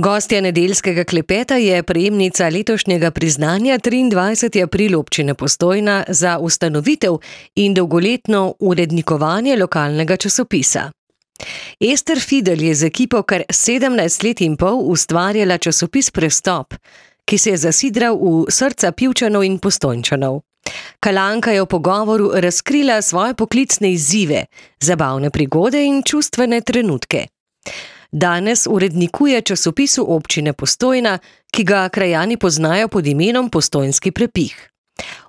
Gostja nedeljskega klepeta je prejemnica letošnjega priznanja 23. april občine Postojna za ustanovitev in dolgoletno urednikovanje lokalnega časopisa. Ester Fidel je z ekipo kar 17 let in pol ustvarjala časopis Prestop, ki se je zasidral v srca Pivčanov in Postojnčanov. Kalanka je v pogovoru razkrila svoje poklicne izzive, zabavne prigode in čustvene trenutke. Danes urednikuje časopisu občine Postojna, ki ga krajani poznajo pod imenom Postojnski prepih.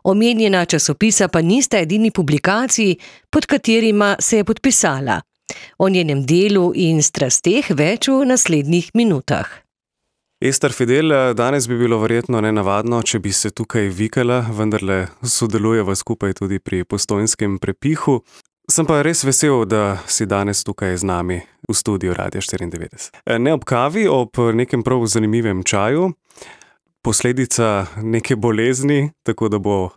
Omenjena časopisa pa nista edini publikaciji, pod katerima se je podpisala. O njenem delu in strasteh več v naslednjih minutah. Ester Fidel, danes bi bilo verjetno nenavadno, če bi se tukaj vikala, vendarle sodelujeva skupaj tudi pri Postojnskem prepihu. Sem pa res vesel, da si danes tukaj z nami v studiu Radia 94. Ne ob kavi, ob nekem prav zanimivem čaju, posledica neke bolezni, tako da bo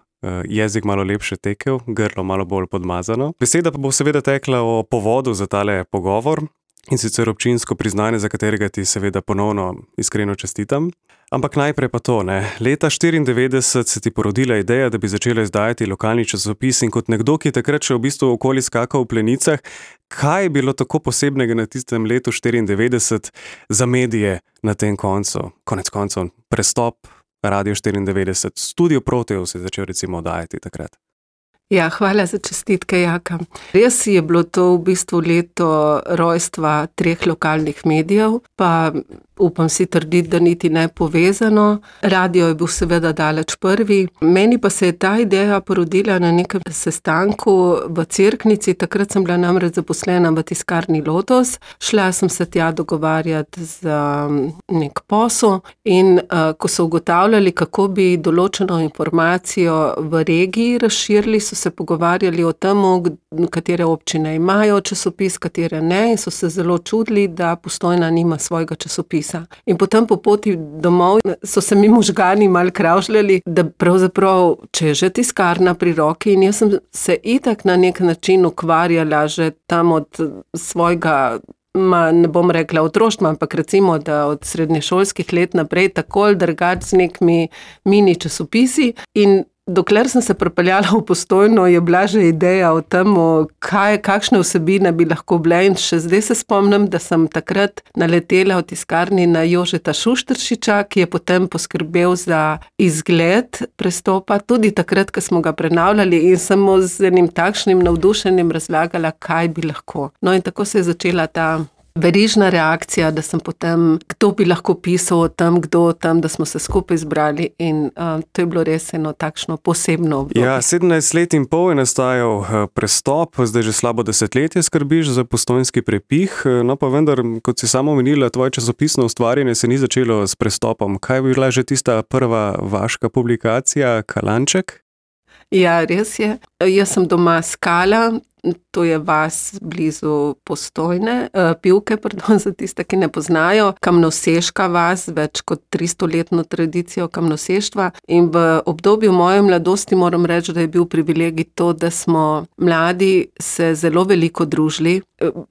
jezik malo lepše tekel, grlo malo bolj podmazano. Beseda pa bo seveda tekla o povodu za tale pogovor, in sicer občinsko priznanje, za katerega ti seveda ponovno iskreno čestitam. Ampak najprej pa to, ne. Leta 1994 se ti porodila ideja, da bi začela izdajati lokalni časopis in kot nekdo, ki je takrat še v bistvu okoli skakal v plenicah, kaj je bilo tako posebnega na tistem letu 1994 za medije na tem koncu? Konec koncev, Prestop, Radio 94, Studio Proteus se je začel recimo oddajati takrat. Ja, hvala za čestitke, Jaka. Res je bilo to v bistvu leto rojstva 3 lokalnih medijev, pa upam si trditi, da niti ne povezano. Radio je bil seveda daleč prvi. Meni pa se je ta ideja porodila na nekem sestanku v Cerknici. Takrat sem bila namreč zaposlena v tiskarni Lotos. Šla sem se tja dogovarjati za nek posel in ko so ugotavljali, kako bi določeno informacijo v regiji razširili, so se pogovarjali o tem, katere občine imajo časopis, katere ne, in so se zelo čudili, da Postojna nima svojega časopisa. In potem po poti domov so se mi možgani malo kravžljali, da pravzaprav, če je že tiskarna pri roki, in jaz sem se itak na nek način ukvarjala že tam od svojega, ne bom rekla otroštva, ampak recimo, da od srednješolskih let naprej tako ali drugače z nekimi mini časopisi, in dokler sem se pripeljala v Postojno, je bila že ideja o tem, kakšne vsebine bi lahko bile, in še zdaj se spomnim, da sem takrat naletela v tiskarni na Jožeta Šušteršiča, ki je potem poskrbel za izgled Prestopa, tudi takrat, ko smo ga prenavljali, in sem mu z enim takšnim navdušenjem razlagala, kaj bi lahko. No, in tako se je začela ta verižna reakcija, da sem potem, kdo bi lahko pisal o tem, kdo o tem, da smo se skupaj zbrali, in to je bilo res eno takšno posebno obdobje. Ja, 17 let in pol je nastajal Prestop, zdaj že slabo desetletje skrbiš za Postojnski prepih, no pa vendar, kot si sama omenila, tvoje časopisno ustvarjanje se ni začelo s Prestopom. Kaj bi bila že tista prva vaška publikacija, Kalanček? Ja, res je. Jaz sem doma Skala, to je vas blizu Postojne, Pivke, za tiste, ki ne poznajo, kamnoseška vas, več kot 300-letno tradicijo kamnoseštva, in v obdobju moje mladosti moram reči, da je bil privilegij to, da smo mladi se zelo veliko družili.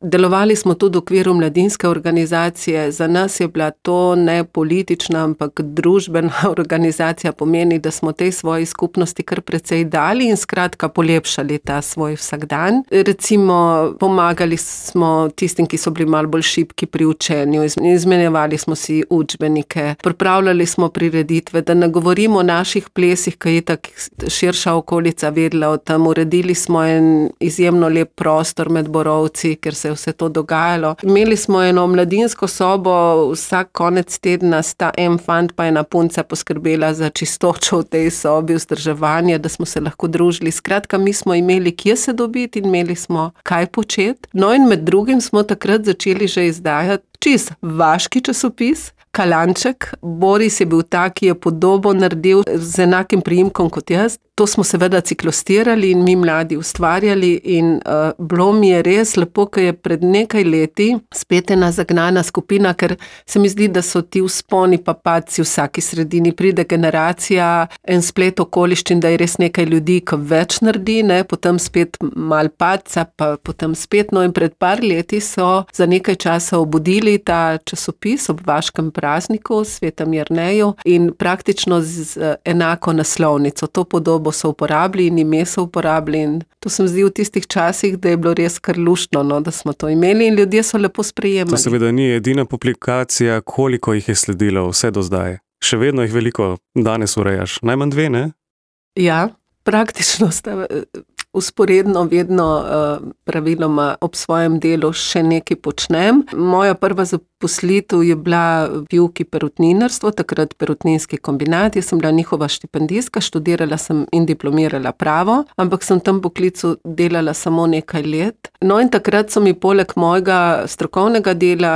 Delovali smo tudi v okviru mladinske organizacije, za nas je bila to ne politična, ampak družbena organizacija, pomeni, da smo tej svoji skupnosti kar precej dali in skratka polepšali ta svoj vsakdan. Recimo, pomagali smo tistim, ki so bili malo bolj šibki pri učenju, izmenjevali smo si učbenike, pripravljali smo prireditve, da ne govorimo o naših plesih, ki je tako širša okolica vedela o tem. Uredili smo en izjemno lep prostor med borovci, ker se je vse to dogajalo. Imeli smo eno mladinsko sobo, vsak konec tedna sta en fant pa ena punca poskrbela za čistočo v tej sobi, vzdrževanje, da smo se lahko družili. Skratka, mi smo imeli kje se dobiti in imeli smo kaj početi. No, in med drugim smo takrat začeli že izdajati čisto vaški časopis, Kalanček. Boris je bil ta, ki je podobo naredil z enakim priimkom kot jaz. To smo seveda ciklostirali in mi mladi ustvarjali in bilo mi je res lepo, ker je pred nekaj leti spet ena zagnana skupina, ker se mi zdi, da so ti vzponi pa padci v vsaki sredini. Pride generacija, en splet okoliščin, da je res nekaj ljudi, ki več naredi, ne? Potem spet mal padca, pa potem spet. No, in pred par leti so za nekaj časa obudili ta časopis ob vaškem prazniku, Svetem Jerneju, in praktično z enako naslovnico. To podobo so uporabili in ime so uporabili in to se mi zdi v tistih časih, da je bilo res kar luštno, no, da smo to imeli in ljudje so lepo sprejemali. To seveda ni edina publikacija, koliko jih je sledilo vse do zdaj. Še vedno jih veliko danes urejaš. Najmanj 2, ne? Ja, praktično sta usporedno vedno praviloma ob svojem delu še nekaj počnem. Moja prva zaposlitev je bila v Pivki perutninarstvo, takrat perutninski kombinat. Jaz sem bila njihova štipendistka, študirala sem in diplomirala pravo, ampak sem v tem poklicu delala samo nekaj let. No in takrat so mi poleg mojega strokovnega dela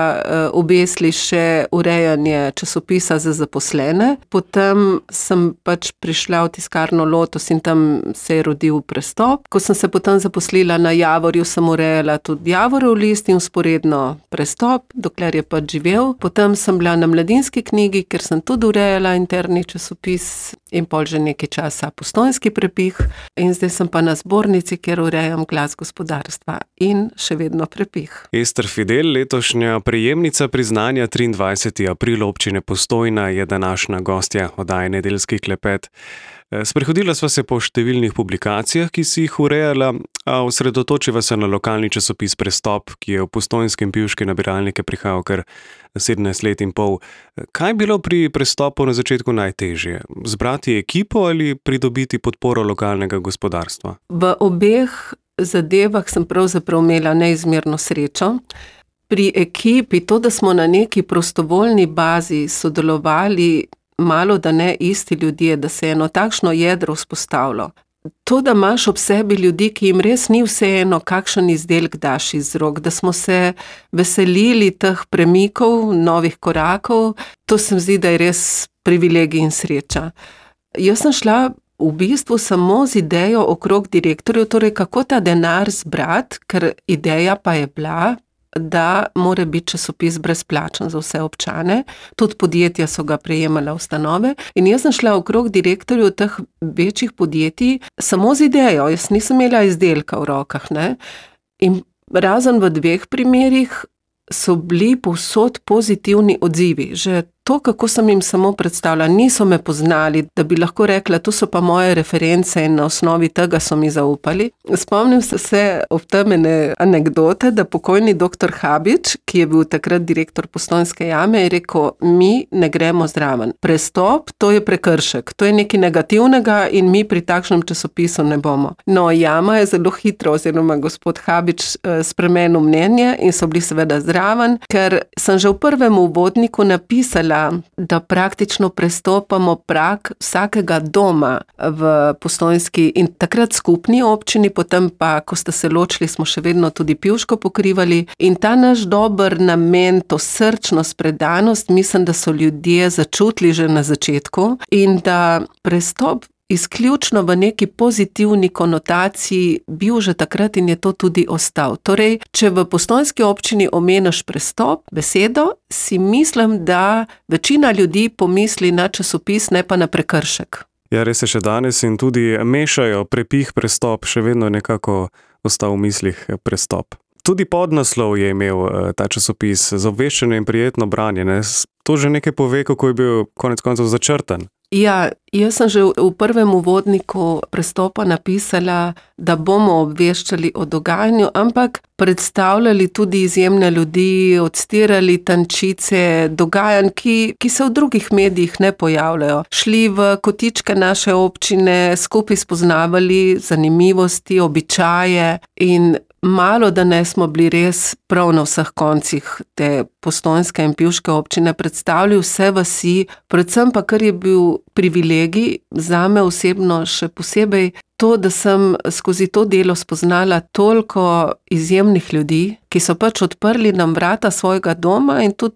obesili še urejanje časopisa za zaposlene. Potem sem pač prišla v tiskarno Lotus in tam se je rodil Prestop. Ko sem se potem zaposlila na Javorju, sem urejala tudi Javorov list in vzporedno Prestop, dokler je pač živel. Potem sem bila na Mladinski knjigi, ker sem tudi urejala interni časopis in pol že nekaj časa Postojnski prepih. In zdaj sem pa na Zbornici, kjer urejam Glas gospodarstva in še vedno prepih. Ester Fidel, letošnja prejemnica priznanja 23. april občine Postojna, je današnja gostja oddaje Nedeljski klepet. Sprehodila sva se po številnih publikacijah, ki si jih urejala, a osredotočiva se na lokalni časopis Prestop, ki je v postojnske in pivške nabiralnike prihajal kar 17 let in pol. Kaj je bilo pri Prestopu na začetku najtežje? Zbrati ekipo ali pridobiti podporo lokalnega gospodarstva? V obeh zadevah sem pravzaprav imela neizmerno srečo. Pri ekipi, to, da smo na neki prostovoljni bazi sodelovali, malo da ne isti ljudje, da se je eno takšno jedro vzpostavilo. To, da imaš ob sebi ljudi, ki jim res ni vseeno, kakšen izdelek daš iz rok, da smo se veselili teh premikov, novih korakov, to se mi zdi, da je res privilegij in sreča. Jaz sem šla v bistvu samo z idejo okrog direktorjev, torej kako ta denar zbrati, ker ideja pa je bila, da mora biti časopis brezplačen za vse občane. Tudi podjetja so ga prejemala ustanove. In jaz sem šla okrog direktorjev teh večjih podjetij samo z idejo. Jaz nisem imela izdelka v rokah, ne. In razen v 2 primerih so bili povsod pozitivni odzivi. Že to, kako sem jim samo predstavljala, niso me poznali, da bi lahko rekla, to so pa moje reference in na osnovi tega so mi zaupali. Spomnim se ob tem ene anekdote, da pokojni dr. Habič, ki je bil takrat direktor Postojnske jame, je rekel, mi ne gremo zraven. Prestop, to je prekršek, to je nekaj negativnega in mi pri takšnem časopisu ne bomo. No, jama je zelo hitro, oziroma gospod Habič spremenil mnenje in so bili seveda zraven, ker sem že v prvem uvodniku napisala, da praktično prestopamo prag vsakega doma v Postojnski in takrat skupni občini, potem pa, ko ste se ločili, smo še vedno tudi Pivško pokrivali in ta naš dober namen, to srčnost, predanost, mislim, da so ljudje začutili že na začetku in da Prestop izključno v neki pozitivni konotaciji bil že takrat in je to tudi ostal. Torej, če v Postojnski občini omeniš Prestop, besedo, si mislim, da večina ljudi pomisli na časopis, ne pa na prekršek. Ja, res je še danes in tudi mešajo prepih Prestop, še vedno nekako ostal v mislih Prestop. Tudi podnaslov je imel ta časopis za obveščanje in prijetno branje, ne? To že nekaj pove, kako je bil konec koncev začrtan. Ja, jaz sem že v prvem uvodniku Prestopa napisala, da bomo obveščali o dogajanju, ampak predstavljali tudi izjemne ljudi, odstirali tančice dogajanj, ki se v drugih medijih ne pojavljajo. Šli v kotičke naše občine, skupaj spoznavali zanimivosti, običaje in malo da ne smo bili res prav na vseh koncih te Postojnske in Pivške občine, predstavili vse vasi, predvsem pa, kar je bil privilegij, zame osebno še posebej to, da sem skozi to delo spoznala toliko izjemnih ljudi, ki so pač odprli nam vrata svojega doma in tudi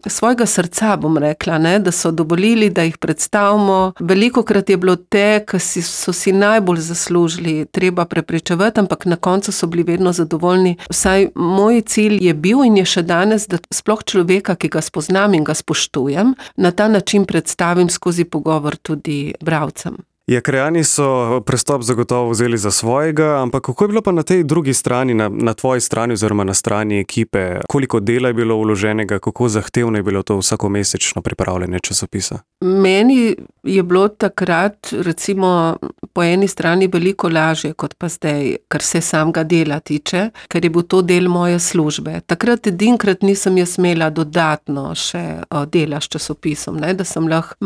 svojega srca, bom rekla, ne, da so dovolili, da jih predstavimo. Velikokrat je bilo te, ki so si najbolj zaslužili, treba prepričevati, ampak na koncu so bili vedno zadovoljni. Vsaj moj cilj je bil in je še danes, da sploh človeka, ki ga spoznam in ga spoštujem, na ta način predstavim skozi pogovor tudi bralcem. Ja, krajani so prestop zagotovo vzeli za svojega, ampak kako je bilo pa na tej drugi strani, na tvoji strani oziroma na strani ekipe? Koliko dela je bilo vloženega, kako zahtevno je bilo to vsakomesečno pripravljanje časopisa? Meni je bilo takrat, recimo, po eni strani veliko lažje kot pa zdaj, kar se samega dela tiče, ker je bil to del moje službe. Takrat edinkrat nisem jaz imela dodatno še dela s časopisom, ne, da sem lahko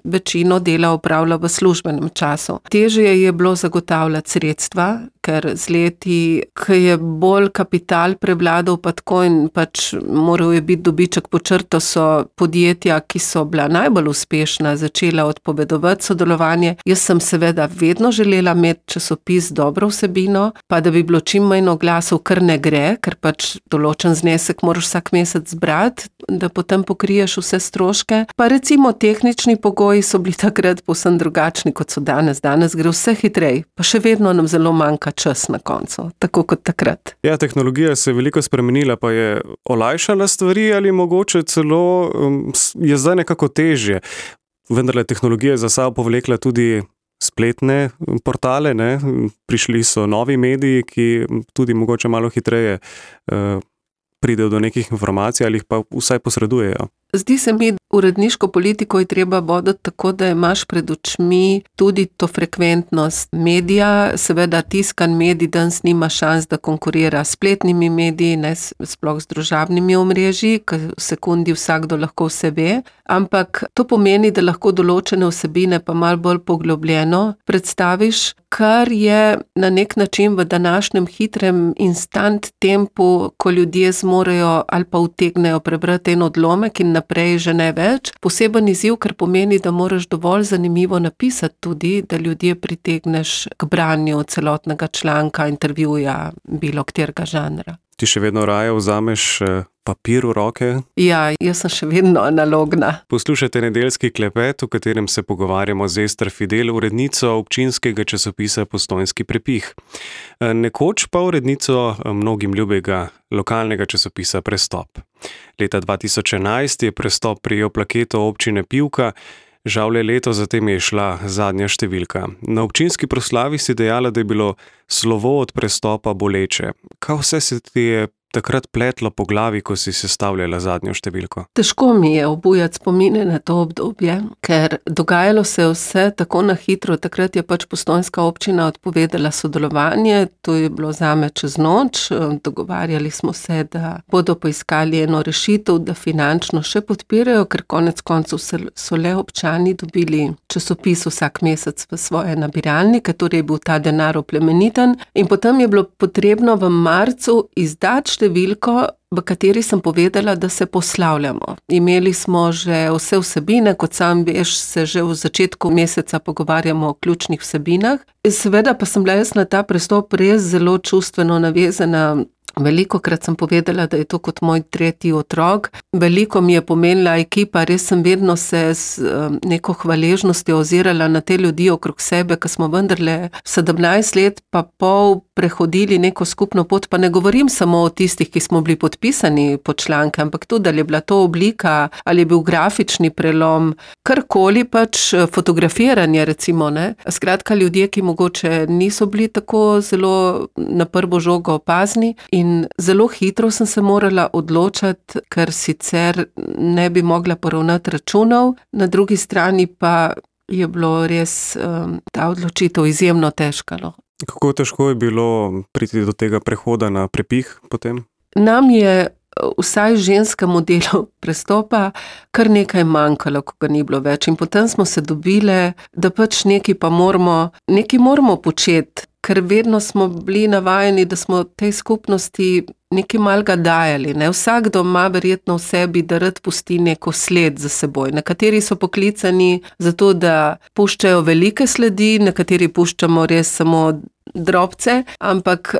večino dela opravila v službenem času. Težje je bilo zagotavljati sredstva, ker z leti, ko je bolj kapital prevladal pa tako in pač moral je biti dobiček pod črto, so podjetja, ki so bila najbolj uspešna, začela odpovedovati sodelovanje. Jaz sem seveda vedno želela imeti časopis dobro vsebino, pa da bi bilo čim manj oglasov, kar ne gre, ker pač določen znesek moraš vsak mesec zbrati, da potem pokriješ vse stroške. Pa recimo tehnični pogoji so bili takrat povsem drugačni, kot so danes. Danes gre vse hitrej, pa še vedno nam zelo manjka čas na koncu, tako kot takrat. Ja, tehnologija se je veliko spremenila, pa je olajšala stvari ali mogoče celo je zdaj nekako težje. Vendarle tehnologija je za sabo povlekla tudi spletne portale, ne? Prišli so novi mediji, ki tudi mogoče malo hitreje pridejo do nekih informacij ali jih pa vsaj posredujejo. Zdi se mi, uredniško politiko je treba voditi tako, da imaš pred očmi tudi to frekventnost medija. Seveda tiskan medij danes nima šans, da konkurira s spletnimi mediji, ne sploh z družabnimi omrežji, ker v sekundi vsakdo lahko vse ve, ampak to pomeni, da lahko določene vsebine pa malo bolj poglobljeno predstaviš, kar je na nek način v današnjem hitrem instant tempu, ko ljudje zmorejo ali pa utegnejo prebrati en odlomek in naprej že ne več. Poseben izziv, ker pomeni, da moraš dovolj zanimivo napisati tudi, da ljudje pritegneš k branju celotnega članka, intervjuja, bilo katerega žanra. Ti še vedno raje vzameš papir v roke? Ja, jaz sem še vedno analogna. Poslušajte nedeljski klepet, v katerem se pogovarjamo z Ester Fidel, urednico občinskega časopisa Postojnski prepih. Nekoč pa urednico mnogim ljubega lokalnega časopisa Prestop. Leta 2011 je Prestop prejel plaketo občine Pivka, žal leto zatem je šla zadnja številka. Na občinski proslavi si dejala, da je bilo slovo od Prestopa boleče. Kaj vse se ti je takrat pletlo po glavi, ko si sestavljala zadnjo številko? Težko mi je obujati spomine na to obdobje, ker dogajalo se vse tako na hitro. Takrat je pač Postojnska občina odpovedala sodelovanje, to je bilo zame čez noč. Dogovarjali smo se, da bodo poiskali eno rešitev, da finančno še podpirajo, ker konec koncev so le občani dobili časopis vsak mesec v svoje nabiralnike, torej je bil ta denar oplemeniten. In potem je bilo potrebno v marcu izdati številko, v kateri sem povedala, da se poslavljamo. Imeli smo že vse vsebine, kot sam veš, se že v začetku meseca pogovarjamo o ključnih vsebinah. Seveda pa sem bila jaz na ta prestop res zelo čustveno navezana. Velikokrat sem povedala, da je to kot moj tretji otrok. Veliko mi je pomenila ekipa, res sem vedno se z neko hvaležnostjo ozirala na te ljudi okrog sebe, ker smo vendarle 17 let pa pol prehodili neko skupno pot, pa ne govorim samo o tistih, ki smo bili podpisani pod članke, ampak tudi, ali je bila to oblika, ali je bil grafični prelom, karkoli pač, fotografiranje recimo, ne. Skratka, ljudje, ki mogoče niso bili tako zelo na prvo žogo opazni in zelo hitro sem se morala odločati, ker sicer ne bi mogla poravnati računov, na drugi strani pa je bilo res ta odločitev izjemno težka, no. Kako težko je bilo priti do tega prehoda na prepih potem? Nam je vsaj ženskemu delu Prestopa kar nekaj manjkalo, ko ga ni bilo več. In potem smo se dobile, da pač nekaj moramo početi, ker vedno smo bili navajeni, da smo tej skupnosti nekaj malega dajali. Ne? Vsakdo ima verjetno v sebi, da rad pusti neko sled za seboj. Nekateri so poklicani zato, da puščajo velike sledi, nekateri puščamo res samo drobce, ampak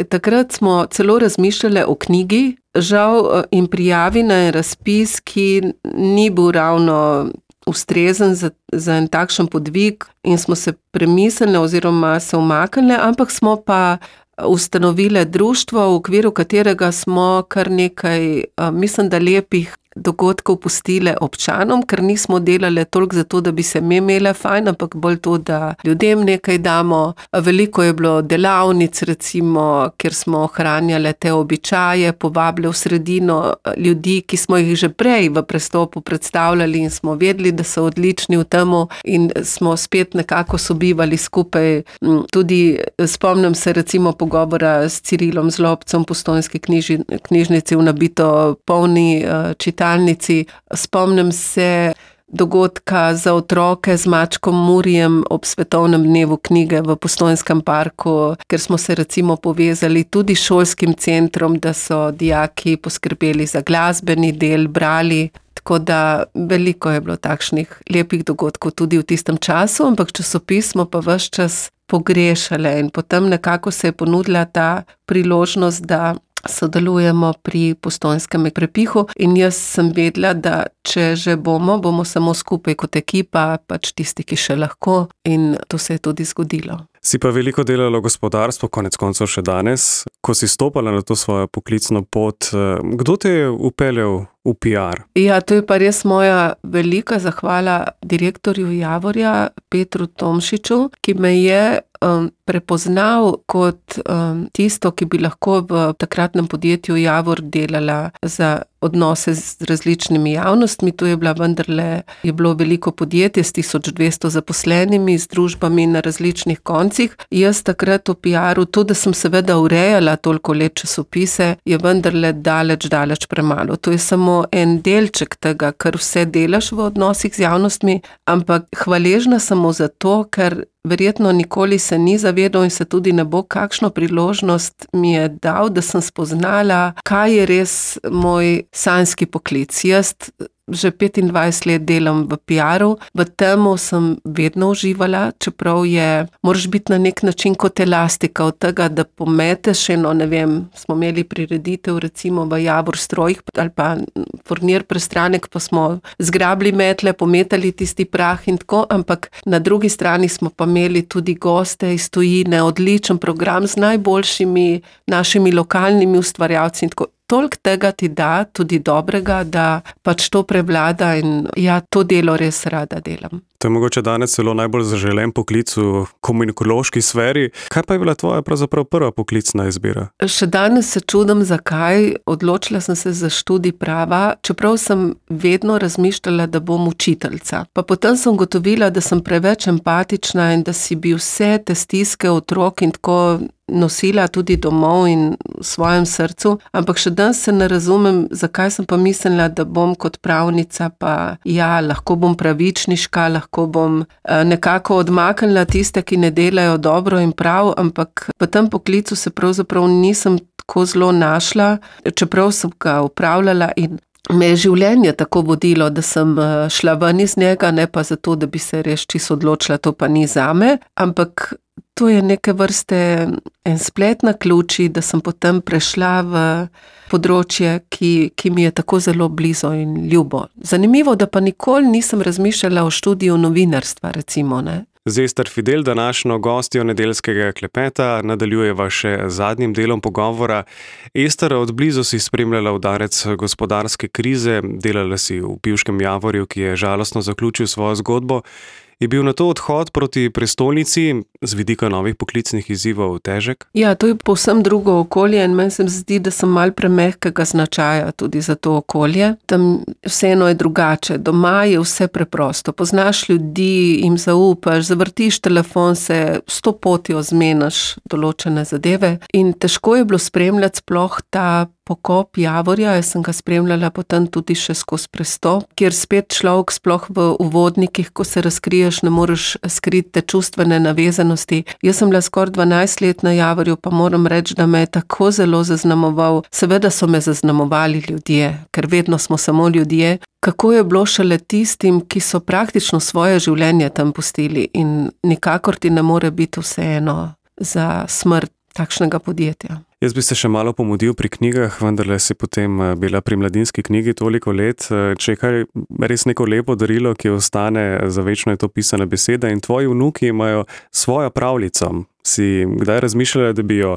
takrat smo celo razmišljali o knjigi, žal in prijavi na razpis, ki ni bil ravno ustrezen za en takšen podvig in smo se premislili oziroma se umaknili, ampak smo pa ustanovili društvo, v okviru katerega smo kar nekaj, mislim, da lepih dogodkov pustile občanom, ker nismo delali toliko zato, da bi se mi imele fajn, ampak bolj to, da ljudem nekaj damo. Veliko je bilo delavnic, recimo, kjer smo ohranjali te običaje, povabili v sredino ljudi, ki smo jih že prej v prestopu predstavljali in smo vedeli, da so odlični v temu in smo spet nekako sobivali skupaj. Tudi spomnim se recimo pogovora s Cirilom Zlobcem v Postojnski knjižnici v nabito polni čitalnici. Spomnim se dogodka za otroke z mačkom Murijem ob svetovnem dnevu knjige v Postojnskem parku, ker smo se recimo povezali tudi s šolskim centrom, da so dijaki poskrbeli za glasbeni del, brali. Tako da veliko je bilo takšnih lepih dogodkov tudi v tistem času, ampak časopis smo pa ves čas pogrešali in potem nekako se je ponudila ta priložnost, da sodelujemo pri Postojnskem prepihu in jaz sem vedela, da če že bomo samo skupaj kot ekipa, pač tisti, ki še lahko, in to se je tudi zgodilo. Si pa veliko delala gospodarstvo, konec koncev še danes. Ko si stopala na to svojo poklicno pot, kdo te je upeljal v PR? Ja, to je pa res moja velika zahvala direktorju Javorja, Petru Tomšiču, ki me je prepoznal kot tisto, ki bi lahko v takratnem podjetju Javor delala za odnose z različnimi javnostmi. To je bilo veliko podjetje s 1200 zaposlenimi, z družbami na različnih koncih. Jaz takrat v PR-u, to, da sem seveda urejala toliko let časopise, je vendarle daleč premalo. To je samo en delček tega, kar vse delaš v odnosih z javnostmi, ampak hvaležna samo za to, ker verjetno nikoli se ni zavedal in se tudi ne bo, kakšno priložnost mi je dal, da sem spoznala, kaj je res moj sanjski poklic. Jaz že 25 let delam v PR-u, v temu sem vedno uživala, čeprav moraš biti na nek način kot elastika od tega, da pometeš smo imeli prireditev recimo v Javor strojih ali pa Furnir Prestranek, pa smo zgrabili metle, pometali tisti prah in tako, ampak na drugi strani smo pa imeli tudi goste iz tujine, odličen program z najboljšimi našimi lokalnimi ustvarjalci in tako. Toliko tega ti da, tudi dobrega, da pač to prevlada in ja, to delo res rada delam. To je mogoče danes celo najbolj zaželen poklic v komunikološki sferi. Kaj pa je bila tvoja pravzaprav prva poklicna izbira? Še danes se čudim, zakaj. Odločila sem se za študij prava, čeprav sem vedno razmišljala, da bom učiteljica. Pa potem sem ugotovila, da sem preveč empatična in da si bi vse te stiske otrok in tako nosila tudi domov in v svojem srcu, ampak še danes se ne razumem, zakaj sem pa mislila, da bom kot pravnica, pa ja, lahko bom pravičniška, lahko bom nekako odmaknila tiste, ki ne delajo dobro in prav, ampak v tem poklicu se pravzaprav nisem tako zelo našla, čeprav sem ga upravljala in me je življenje tako vodilo, da sem šla ven iz njega, ne pa zato, da bi se res čisto odločila, to pa ni zame, ampak to je neke vrste en splet naključij, da sem potem prešla v področje, ki mi je tako zelo blizu in ljubo. Zanimivo, da pa nikoli nisem razmišljala o študiju novinarstva, recimo, ne. Z Ester Fidel, današnjo gostjo nedeljskega klepeta, nadaljujeva še zadnjim delom pogovora. Ester, od blizu si spremljala udarec gospodarske krize, delala si v pivškem Javorju, ki je žalostno zaključil svojo zgodbo. Je bil na to odhod proti prestolnici z vidika novih poklicnih izzivov težek? Ja, to je povsem drugo okolje in meni se zdi, da sem malo premehkega značaja tudi za to okolje. Tam vseeno je drugače. Doma je vse preprosto. Poznaš ljudi, jim zaupaš, zavrtiš telefon, se 100 potjo zmeniš določene zadeve in težko je bilo spremljati sploh ta pokop Javorja, jaz sem ga spremljala potem tudi še skozi prestop, kjer spet človek sploh v uvodnikih, ko se razkriješ, ne moreš skriti te čustvene navezanosti. Jaz sem bila skoraj 12 let na Javorju, pa moram reči, da me je tako zelo zaznamoval. Seveda so me zaznamovali ljudje, ker vedno smo samo ljudje. Kako je bilo šele tistim, ki so praktično svoje življenje tam pustili in nikakor ti ne more biti vseeno za smrt takšnega podjetja. Jaz bi se še malo pomudil pri knjigah, vendarle si potem bila pri Mladinski knjigi toliko let. Če je kaj res neko lepo darilo, ki ostane za večno, je to pisana beseda in tvoji vnuki imajo svojo pravljico. Si kdaj razmišljala, da bi jo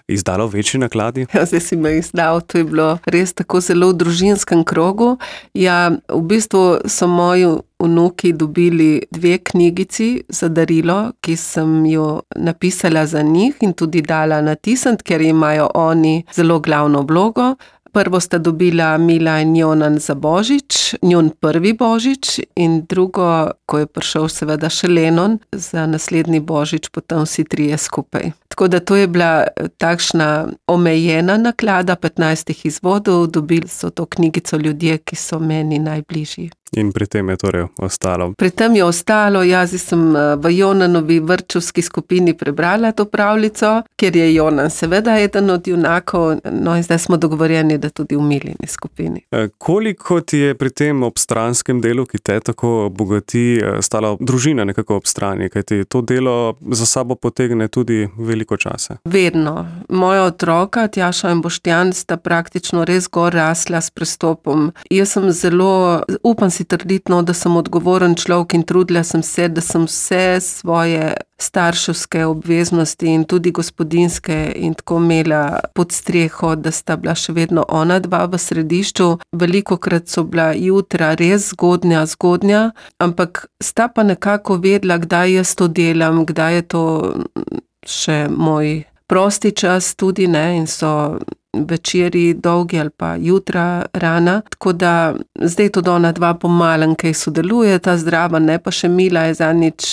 izdala v večji nakladi? Ja, zdaj si me izdal, to je bilo res tako zelo v družinskem krogu. Ja, v bistvu so moji vnuki dobili 2 knjigici za darilo, ki sem jo napisala za njih in tudi dala natisniti, ker imajo oni zelo glavno vlogo. Prvo sta dobila Mila in Jonan za Božič, njun prvi Božič, in drugo, ko je prišel seveda še Lenon, za naslednji Božič, potem vsi 3 skupaj. Tako da to je bila takšna omejena naklada 15 izvodov, dobili so to knjigico ljudje, ki so meni najbližji. In pri tem je torej ostalo? Pri tem je ostalo, jaz sem v Jonanovi vrtčevski skupini prebrala to pravljico, ker je Jonan seveda eden od junakov, no in zdaj smo dogovorjeni, da tudi v Milini skupini. Koliko ti je pri tem obstranskem delu, ki te tako bogati, stala družina nekako ob strani, kajti to delo za sabo potegne tudi veliko časa? Vedno. Moja otroka, Tjaša in Boštjan, sta praktično res gor rasla s prestopom. Jaz sem zelo, upam si trditi, da sem odgovoren človek in trudila sem se, da sem vse svoje starševske obveznosti in tudi gospodinjske in tako imela pod streho, da sta bila še vedno ona 2 v središču. Velikokrat so bila jutra res zgodnja, ampak sta pa nekako vedela, kdaj jaz to delam, kdaj je to še moj prosti čas tudi, ne, in so večeri dolgi ali pa jutra rana, tako da zdaj tudi ona 2 pomalen, kaj sodeluje, ta zdrava, ne, pa še Mila je zadnjič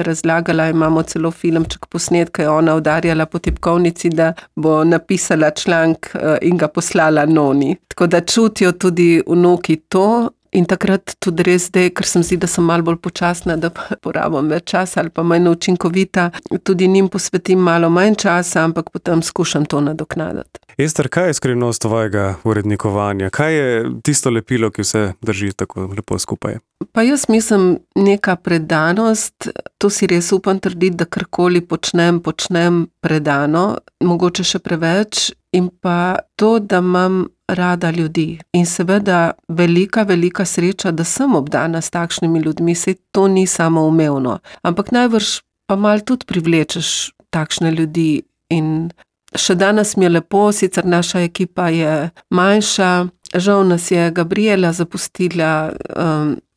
razlagala, imamo celo filmček posnet, ko je ona udarjala po tipkovnici, da bo napisala članek in ga poslala noni. Tako da čutijo tudi vnuki to. In takrat tudi res zdaj, ker sem zdi, da sem malo bolj počasna, da porabim več časa ali pa manj učinkovita, tudi njim posvetim malo manj časa, ampak potem skušam to nadoknaditi. Ester, kaj je skrivnost tvojega urednikovanja? Kaj je tisto lepilo, ki vse drži tako lepo skupaj? Pa jaz mislim neka predanost, to si res upam trditi, da karkoli počnem predano, mogoče še preveč, in pa to, da imam rada ljudi. In seveda velika sreča, da sem obdana s takšnimi ljudmi, saj to ni samoumevno. Ampak najbrž pa malo tudi privlečeš takšne ljudi in še danes mi je lepo, sicer naša ekipa je manjša, žal nas je Gabriela zapustila,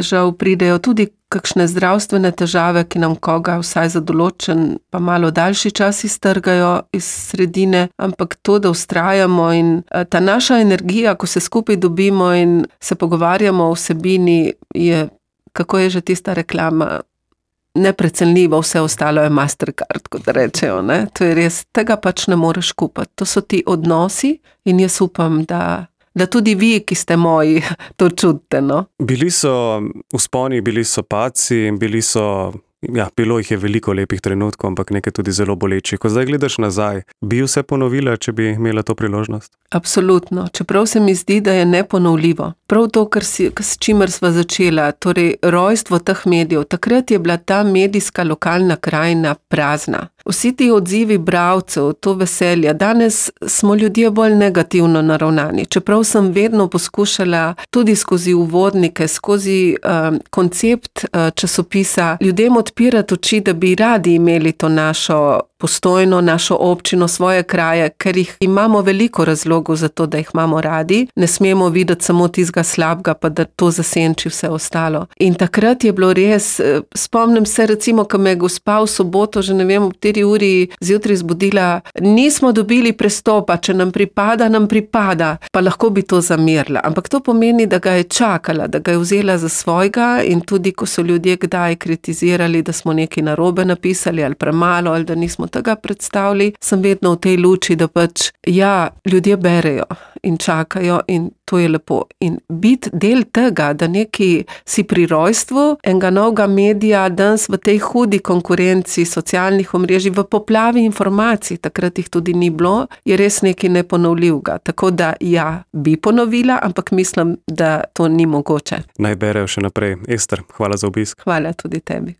žal pridejo tudi kakšne zdravstvene težave, ki nam koga vsaj za določen pa malo daljši čas iztrgajo iz sredine, ampak to, da vztrajamo in ta naša energija, ko se skupaj dobimo in se pogovarjamo o vsebini, je, kako je že tista reklama, neprecenljivo, vse ostalo je Mastercard, kot rečejo, ne? To je res, tega pač ne moreš kupiti. To so ti odnosi in jaz upam, da tudi vi, ki ste moji, to čutite, no? Bili so vzponi, bili so padci, bilo jih je veliko lepih trenutkov, ampak nekaj tudi zelo boleči. Ko zdaj gledaš nazaj, bi vse ponovila, če bi imela to priložnost? Absolutno, čeprav se mi zdi, da je neponovljivo. Prav to, s čimer sva začela, torej rojstvo teh medijev, takrat je bila ta medijska lokalna krajina prazna. Vsi ti odzivi bralcev, to veselje, danes smo ljudje bolj negativno naravnani. Čeprav sem vedno poskušala tudi skozi uvodnike, skozi koncept časopisa ljudem odpirati oči, da bi radi imeli to našo Postojno, našo občino, svoje kraje, ker jih imamo veliko razlogov za to, da jih imamo radi. Ne smemo videti samo tistega slabega, pa da to zasenči vse ostalo. In takrat je bilo res, spomnim se recimo, ko me je gospa v soboto, že ne vem, ob 4 uri zjutraj zbudila, nismo dobili prestopa, če nam pripada, pa lahko bi to zamerila. Ampak to pomeni, da ga je čakala, da ga je vzela za svojega in tudi, ko so ljudje kdaj kritizirali, da smo nekaj narobe napisali ali premalo ali da nismo tega predstavili, sem vedno v tej luči, da pač ljudje berejo in čakajo in to je lepo. In biti del tega, da neki si pri rojstvu enega novega medija danes v tej hudi konkurenci socialnih omrežij, v poplavi informacij, takrat jih tudi ni bilo, je res nekaj neponovljivega. Tako da bi ponovila, ampak mislim, da to ni mogoče. Naj berejo še naprej. Ester, hvala za obisk. Hvala tudi tebi.